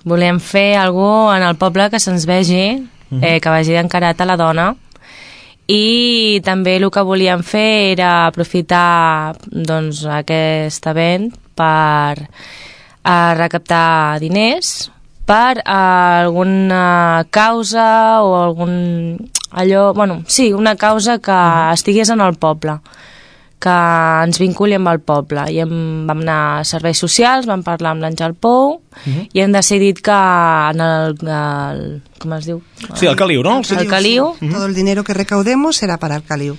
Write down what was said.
Volíem fer alguna en el poble que se'ns vegi, que vagi encarat a la dona, i també el que volíem fer era aprofitar doncs, aquest event per recaptar diners per alguna causa o una causa que estigués en el poble, que ens vinculi amb el poble. I vam anar a serveis socials, vam parlar amb l'Àngel Pou i hem decidit que en el com es diu? Sí, el Caliu, no? El Caliu. Todo el dinero que recaudemos será para el Caliu.